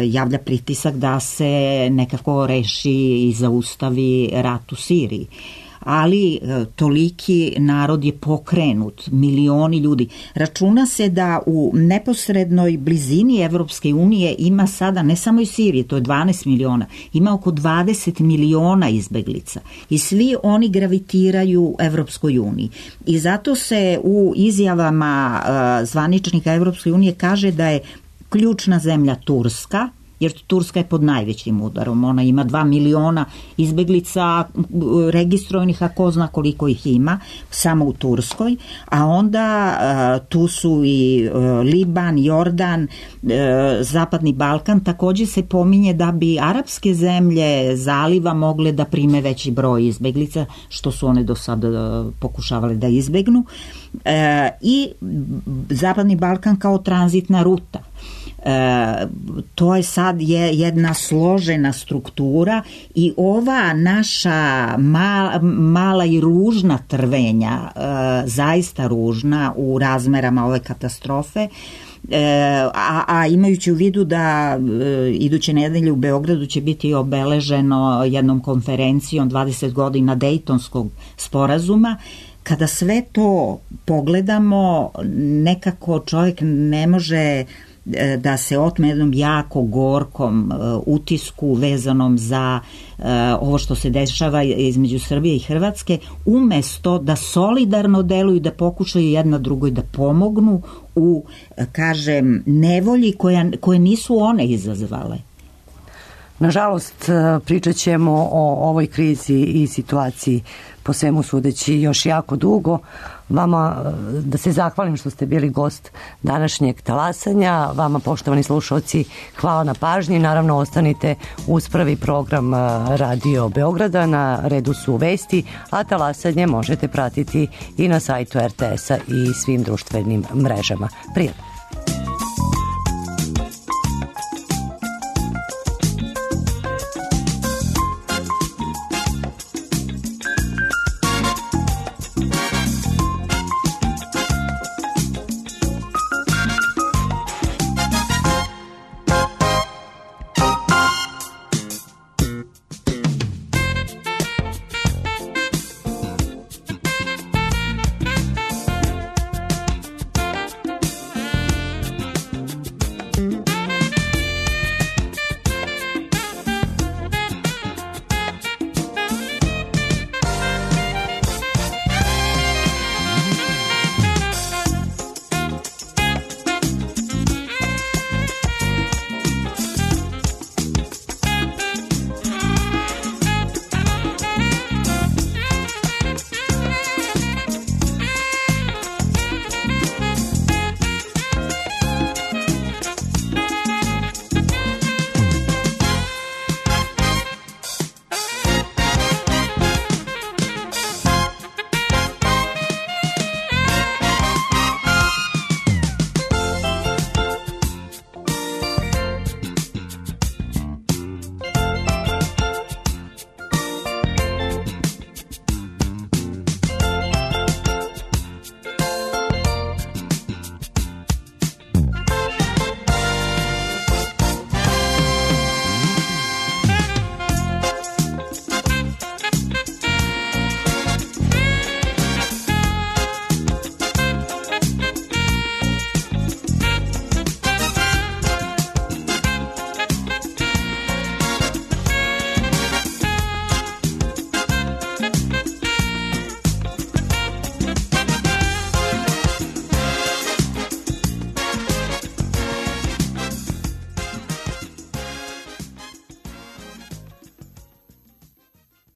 javlja pritisak da se nekako reši i zaustavi rat u Siriji. Ali toliki narod je pokrenut, milioni ljudi. Računa se da u neposrednoj blizini Evropske unije ima sada, ne samo iz Sirije, to je dvanaest miliona, ima oko dvadeset miliona izbeglica i svi oni gravitiraju Evropskoj uniji. I zato se u izjavama uh, zvaničnika Evropske unije kaže da je ključna zemlja Turska, jer Turska je pod najvećim udarom. Ona ima dva miliona izbeglica registrovanih, a ko zna koliko ih ima, samo u Turskoj. A onda uh, tu su i uh, Liban, Jordan, uh, Zapadni Balkan. Takođe se pominje da bi arapske zemlje zaliva mogle da prime veći broj izbeglica, što su one do sada uh, pokušavale da izbegnu. Uh, I Zapadni Balkan kao tranzitna ruta. E, to je sad je jedna složena struktura i ova naša mala, mala i ružna trvenja, e, zaista ružna u razmerama ove katastrofe, E, a, a imajući u vidu da e, iduće nedelje u Beogradu će biti obeleženo jednom konferencijom dvadeset godina Dejtonskog sporazuma, kada sve to pogledamo, nekako čovjek ne može da se otme jednom jako gorkom uh, utisku vezanom za uh, ovo što se dešava između Srbije i Hrvatske, umesto da solidarno deluju, da pokušaju jedna drugoj da pomognu u, kažem, nevolji koja, koje nisu one izazvale. Nažalost, pričat ćemo o ovoj krizi i situaciji po svemu sudeći još jako dugo. Vama da se zahvalim što ste bili gost današnjeg talasanja. Vama, poštovani slušalci, hvala na pažnji. Naravno, ostanite uz prvi program Radio Beograda. Na redu su vesti, a talasanje možete pratiti i na sajtu er te esa i svim društvenim mrežama. Prijatno.